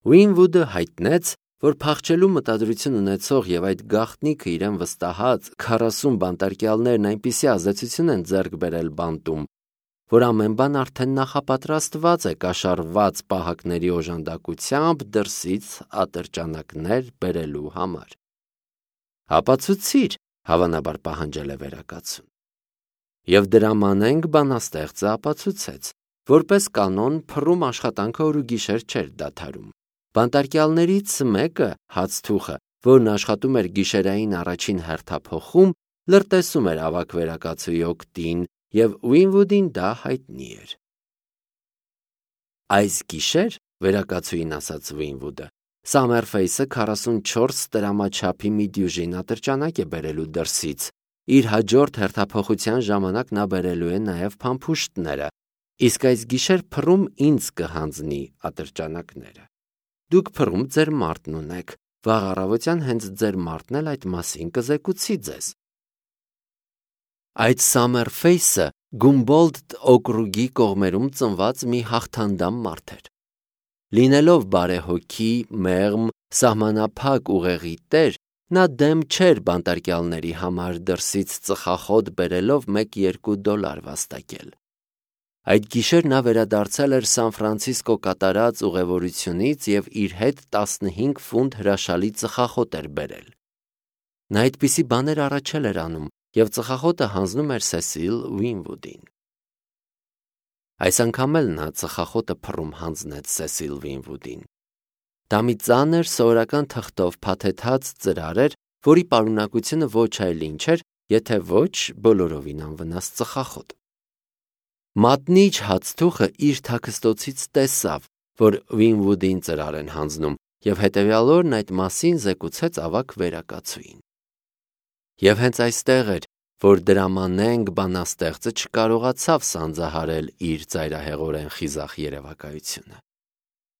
Ուինվուդը հայտնեց, որ փախչելու մտադրություն ունեցող եւ այդ գաղտնիքը իրեն վստահած 40 բանտարկյալներն այնպիսի ազդեցություն են ձեռք բերել բանտում, որ ամեն բան արդեն նախապատրաստված է կաշառված պահակների օժանդակությամբ դրսից ատրճանակներ բերելու համար։ Ապացուցիր, հավանաբար պահանջել է վերակացուն։ Եվ դրամանենք բանաստեղծը ապացուցեց, որպես կանոն փռում աշխատանքը օր ու գիշեր չէր դադարում։ Բանտարկյալներից մեկը, Հացթուխը, որն աշխատում էր գիշերային առաջին հերթափոխում, լրտեսում էր ավագ վերակացուի օգտին, եւ Ուինվուդին դա հայտնի էր։ Այս գիշեր, վերակացուին ասաց Ուինվուդը, Սամերֆեյսը 44 տրամաչափի մի դյուժին ատրճանակ է բերելու դրսից, իր հաջորդ հերթափոխության ժամանակ նա բերելու է նաև փամփուշտները, իսկ այս գիշեր փռում ինձ կհանձնի ատրճանակները։ Դուք փռում ձեր մարդն ունեք, վաղ առավոտյան հենց ձեր մարդն էլ այդ մասին կզեկուցի ձեզ։ Այդ Սամերֆեյսը Գումբոլդտ օկրուգի կողմերում ծնված մի հաղթանդամ մարդ էր։ Լինելով բարեհոգի, մեղմ, սահմանափակ ուղեղի տեր, նա դեմ չէր բանտարկյալների համար դրսից ծխախոտ բերելով $1-2 վաստակել։ Այդ գիշեր նա վերադարձել էր Սան Ֆրանցիսկո կատարած ուղևորությունից եւ իր հետ 15 ֆունտ հրաշալի ծխախոտ էր բերել։ Նա այդպիսի բաներ առաջել էր անում եւ ծխախոտը հանձնում էր Սեսիլ Ուինվուդին։ Այս անգամ էլ նա ծխախոտը փռում հանձնեց Սեսիլ Ուինվուդին։ Դա մի ծանր սովորական թղթով փաթեթած ծրար էր, որի պարունակությունը ոչ այլ ինչ էր, եթե ոչ բոլորովին անվնաս ծխախոտ։ Մատնիչ Հացթուխը իր թաքստոցից տեսավ, որ Ուինվուդին ծրար են հանձնում, եւ հետեւյալ օրն այդ մասին զեկուցեց ավագ վերակացուին։ Եվ հենց այստեղ էր, որ դրամանենք բանաստեղծը չկարողացավ սանձահարել իր ծայրահեղորեն խիզախ երևակայությունը։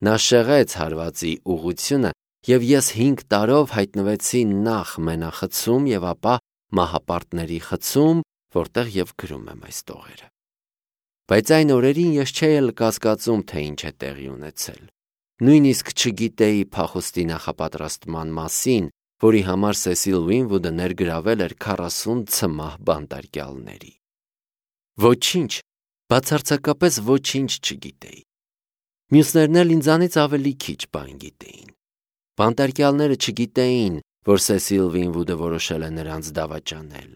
Նա շեղեց հարվածի ուղղությունը, եւ ես 5 տարով հայտնվեցի նախ մենախցում եւ ապա մահապարտների խցում, որտեղ եւ գրում եմ այս տողերը։ Բայց այն օրերին ես չէի էլ կասկածում, թե ինչ է տեղի ունեցել։ Նույնիսկ չգիտեի փախուստի նախապատրաստման մասին, որի համար Սեսիլ Ուինվուդը ներգրավել էր 40 ցմահ բանտարկյալների։ Ոչինչ, բացարձակապես ոչինչ չգիտեի։ Մյուսներն էլ ինձանից ավելի քիչ բան գիտեին։ Բանտարկյալները չգիտեին, որ Սեսիլ Ուինվուդը որոշել է նրանց դավաճանել։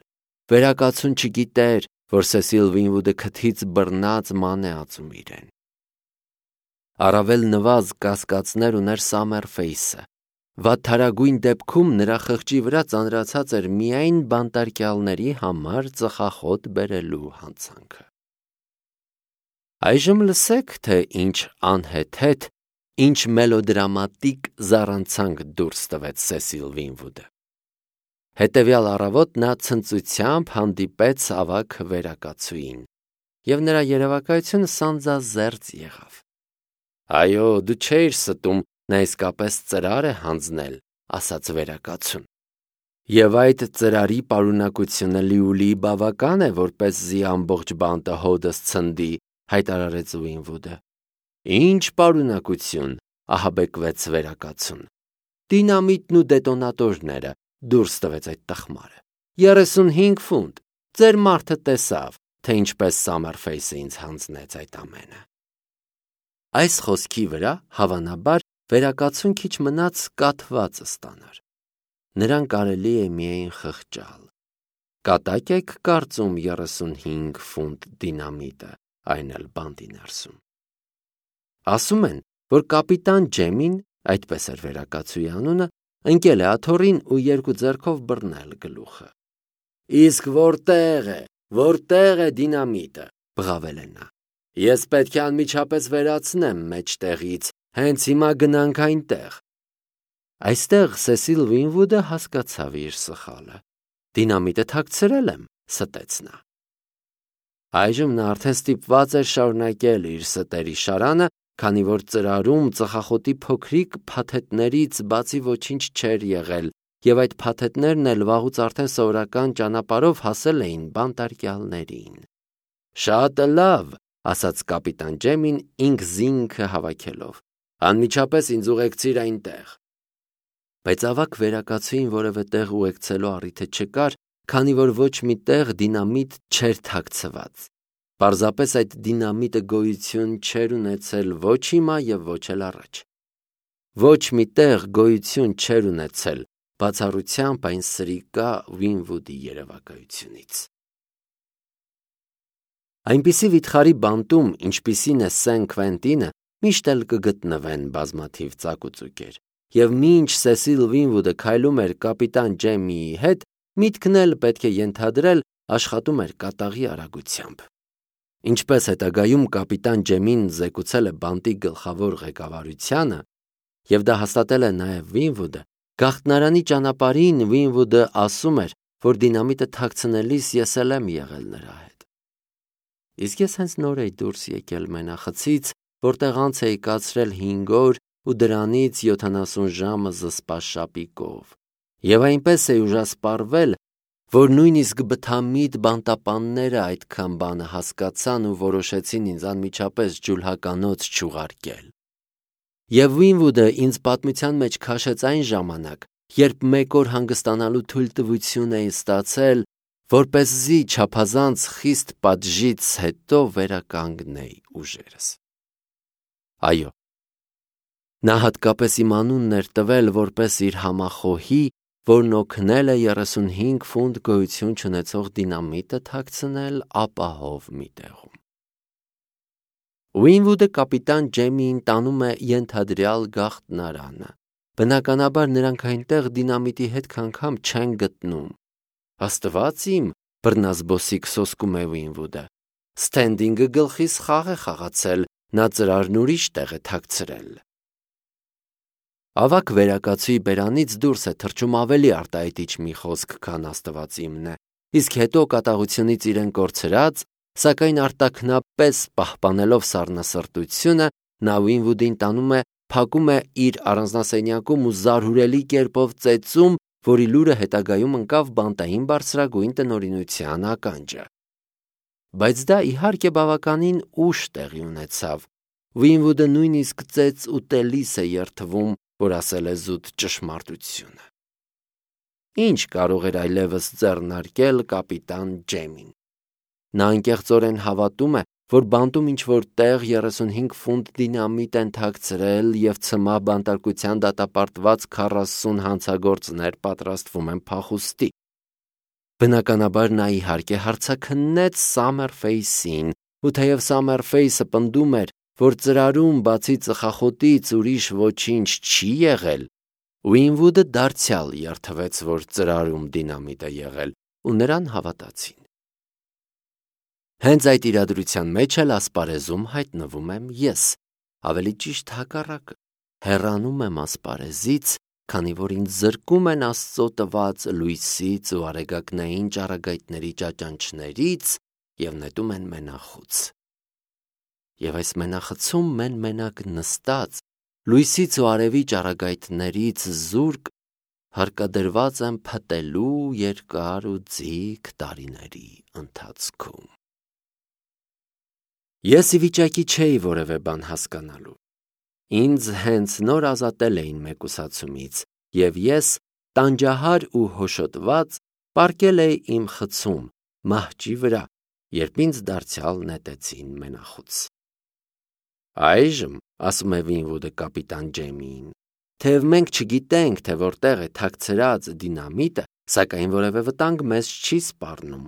Վերակացուն չգիտեր, որ Սեսիլ Ուինվուդը քթից բռնած ման է ածում իրեն։ Առավել նվազ կասկածներ ուներ Սամերֆեյսը։ Վատթարագույն դեպքում նրա խղճի վրա ծանրացած էր միայն բանտարկյալների համար ծխախոտ բերելու հանցանքը։ Այժմ լսեք, թե ինչ անհեթեթ, ինչ մելոդրամատիկ զառանցանք դուրս տվեց Սեսիլ Ուինվուդը։ Հետևյալ առավոտ նա ցնծությամբ հանդիպեց ավագ վերակացուին, եւ նրա երևակայությունը սանձազերծ եղավ։ Այո, դու չէիր ստում, նա իսկապես ծրար է հանձնել, ասաց վերակացուն։ Եվ այդ ծրարի պարունակությունը լիուլի բավական է, որպեսզի ամբողջ բանտը հոդս ցնդի, հայտարարեց Ուինվուդը։ Ինչ պարունակություն, ահաբեկվեց վերակացուն։ Դինամիտն ու դետոնատորները, դուրս տվեց այդ տխմարը։ 35 ֆունտ, ձեր մարդը տեսավ, թե ինչպես Սամերֆեյսը ինձ հանձնեց այդ ամենը։ Այս խոսքի վրա, հավանաբար, վերակացուն քիչ մնաց կաթված ստանար։ Նրան կարելի է միայն խղճալ։ Կատակ եք կարծում 35 ֆունտ դինամիտը, այն էլ բանտի ներսում։ Ասում են, որ կապիտան Ջեմին, այդպես էր վերակացուի անունը, ընկել է աթոռին ու 2 ձեռքով բռնել գլուխը։ Իսկ որտեղ է դինամիտը, բղավել է նա։ Ես պետք է անմիջապես վերացնեմ մեջտեղից, հենց հիմա գնանք այնտեղ։ Այստեղ Սեսիլ Ուինվուդը հասկացավ իր սխալը։ Դինամիտը թաքցրել եմ, ստեց նա։ Այժմ նա արդեն ստիպված էր շարունակել իր ստերի շարանը, քանի որ ծրարում ծխախոտի փոքրիկ փաթեթներից բացի ոչինչ չէր եղել, եւ այդ փաթեթներն էլ վաղուց արդեն սովորական ճանապարհով հասել էին բանտարկյալներին։ Շատ լավ, ասաց կապիտան Ջեմին ինքզինքը հավաքելով։ Անմիջապես ինձ ուղեկցիր այնտեղ։ Բայց ավագ վերակացուին որևէ տեղ ուղեկցելու առիթը չկար, քանի որ ոչ մի տեղ դինամիտ չէր թաքցված։ Պարզապես այդ դինամիտը գոյություն չէր ունեցել ոչ հիմա և ոչ էլ առաջ։ Ոչ մի տեղ գոյություն չէր ունեցել, բացառությամբ այն սրիկա Վինվուդի երևակայությունից։ Այնպիսի վիթխարի բանտում, ինչպիսին է Սեն Քվենտինը, միշտ էլ կգտնվեն բազմաթիվ ծակուծուկեր, և մինչ Սեսիլ Վինվուդը քայլում էր կապիտան Ջեմիի հետ, միտքն էլ պետք է ենթադրել աշխատում էր կատաղի արագությամբ։ Ինչպես հետագայում կապիտան Ջեմին զեկուցել է բանտի գլխավոր ղեկավարությանը, և դա հաստատել է նաև Վինվուդը, գաղտնարանի ճանապարհին Վինվուդը ասում էր, որ դինամիտը թաքցնելիս ես էլ եմ եղել նրա հետ։ Իսկ ես հենց նոր էի դուրս եկել մենախցից, որտեղ անց էի կացրել 5 օր ու դրանից 70 ժամը զսպած շապիկով, և այնպես էի ուժասպառվել, որ նույնիսկ բթամիտ բանտապանները այդքան բանը հասկացան ու որոշեցին ինձ անմիջապես ջուլհականոց չուղարկել։ Եվ Վինվուդը ինձ պատմության մեջ քաշեց այն ժամանակ, երբ 1 օր հանգստանալու թույլտվություն էի ստացել, որպեսզի չափազանց խիստ պատժից հետո վերականգնեի ուժերս։ Այո, նա հատկապես իմ անունն էր տվել որպես իր համախոհի, որն օգնել է 35 ֆունտ գոյություն չունեցող դինամիտը թաքցնել ապահով մի տեղում։ Վինվուդը կապիտան Ջեմիին տանում է ենթադրյալ գաղտնարանը։ Բնականաբար նրանք այնտեղ դինամիտի հետք անգամ չեն գտնում։ Աստված իմ, բռնազբոսիկ սոսկում է Վինվուդը, Սթենդինգը գլխիս խաղ է խաղացել, նա ծրարն ուրիշ տեղ է թաքցրել։ Ավագ վերակացուի բերանից դուրս է թռչում ավելի արտահայտիչ մի խոսք, քան Աստված իմն է, իսկ հետո կատաղությունից իրեն կորցրած, սակայն արտաքնապես պահպանելով սառնասրտությունը, նա Վինվուդին տանում է, փակում է իր առանձնասենյակում ու զարհուրելի կերպով ծեծում, որի լուրը հետագայում ընկավ բանտային բարձրագույն տնօրինության ականջը։ Բայց դա իհարկե բավականին ուշ տեղի ունեցավ։ Վինվուդը նույնիսկ ծեծ ուտելիս է երդվում, որ ասել է զուտ ճշմարտությունը։ Ինչ կարող էր այլևս ձեռնարկել կապիտան Ջեմին։ Նա անկեղծորեն հավատում է, որ բանտում ինչ-որ տեղ 35 ֆունտ դինամիտ են թաքցրել և ցմահ բանտարկության դատապարտված 40 հանցագործներ պատրաստվում են փախուստի։ Բնականաբար նա իհարկե հարցաքննեց Սամերֆեյսին, ու թեև Սամերֆեյսը պնդում էր, որ ծրարում բացի ծխախոտից ուրիշ ոչինչ չի եղել, Վինվուդը դարձյալ երդվեց, որ ծրարում դինամիտ է եղել, ու նրան հավատացին։ Հենց այդ իրադրության մեջ էլ ասպարեզում հայտնվում եմ ես, ավելի ճիշտ հակառակը, հեռանում եմ ասպարեզից, քանի որ ինձ զրկում են Աստծո տված լույսից ու արեգակնային ճառագայթների ճաճանչներից և նետում են մենախուց։ Եվ այս մենախցում մենակ նստած, լույսից ու արևի ճառագայթներից զուրկ, հարկադրված եմ փտելու երկար ու ձիգ տարիների ընթացքում։ Ես ի վիճակի չէի որևէ բան հասկանալու։ Ինձ հենց նոր ազատել էին մեկուսացումից, և ես, տանջահար ու հոշոտված, պառկել էի իմ խցում, մահճի վրա, երբ ինձ դարձյալ նետեցին մենախուց։ Այժմ, ասում է Վինվուդը կապիտան Ջեմիին, թեև մենք չգիտենք, թե որտեղ է թաքցրած դինամիտը, սակայն որևէ վտանգ մեզ չի սպառնում։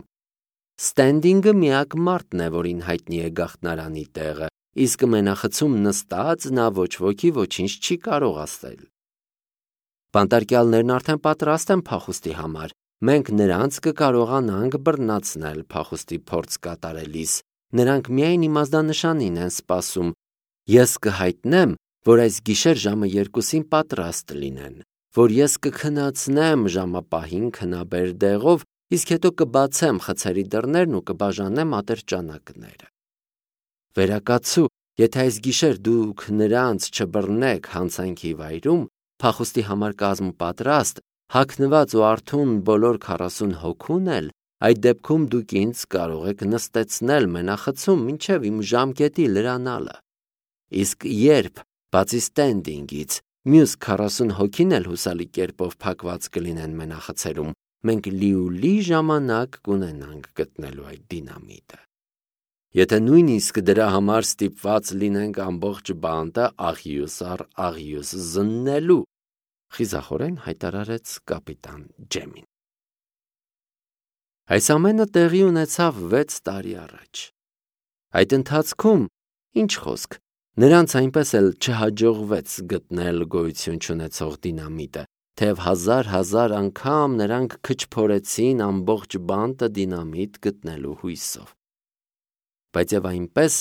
Սթենդինգը միակ մարդն է, որին հայտնի է գաղտնարանի տեղը, իսկ մենախցում նստած նա ոչ ոքի ոչինչ չի կարող ասել։ Բանտարկյալներն արդեն պատրաստ են փախուստի համար, մենք նրանց կկարողանանք բռնացնել փախուստի փորձ կատարելիս, նրանք միայն իմաստանշանին են սպասում, ես կհայտնեմ, որ այս գիշեր ժամը 2-ին պատրաստ լինեն, որ ես կքնացնեմ ժամապահին քնաբեր դեղով, իսկ հետո կբացեմ խցերի դռներն ու կբաժանեմ ատրճանակները։ Վերակացու, եթե այս գիշեր դուք նրանց չբռնեք հանցանքի վայրում, փախուստի համար կազմ պատրաստ, հագնված ու արթուն բոլոր 40 հոգուն էլ, այդ դեպքում դուք ինձ կարող եք նստեցնել մենախցում մինչև իմ ժամկետի լրանալը։ Իսկ երբ Բացի Ստենդինգից, մյուս 40 հոգին էլ հուսալի կերպով փակված կլինեն մենախցերում, մենք լիուլի ժամանակ կունենանք գտնելու այդ դինամիտը։ Եթե նույնիսկ դրա համար ստիպված լինենք ամբողջ բանտը աղյուս առ աղյուս զննելու, խիզախորեն հայտարարեց կապիտան Ջեմին։ Այս ամենը տեղի ունեցավ 6 տարի առաջ։ Այդ ընթացքում, ինչ խոսք, նրանց այնպես էլ չհաջողվեց գտնել գոյություն չունեցող դինամիտը, թեև հազար անգամ նրանք քչփորեցին ամբողջ բանտը դինամիտ գտնելու հույսով։ Բայց եւ այնպես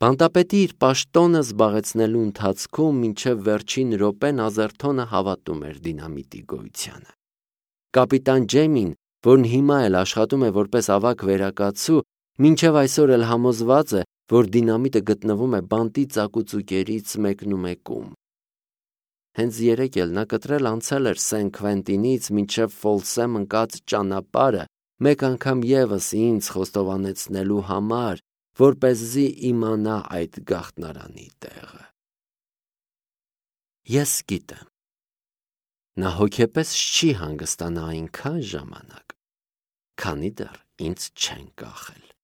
բանտապետի իր պաշտոնը զբաղեցնելու ընթացքում մինչև վերջին րոպեն Ազերթոնը հավատում էր դինամիտի գոյությանը։ Կապիտան Ջեմին, որն հիմա էլ աշխատում է որպես ավագ վերակացու, մինչև այսօր էլ համոզված է, որ դինամիտը գտնվում է բանտի ծակուցուկերից մեկնումեկում։ Հենց երեկ էլ նա կտրել անցել էր Սեն Քվենտինից մինչև Ֆոլսեմ ընկած ճանապարհը մեկ անգամ եւս ինձ խոստովանեցնելու համար, որպեսզի իմանա այդ գաղտնարանի տեղը։ Ես գիտեմ, նա հոգեպես չի հանգստանա այնքան ժամանակ, քանի դեռ ինձ չեն կախել։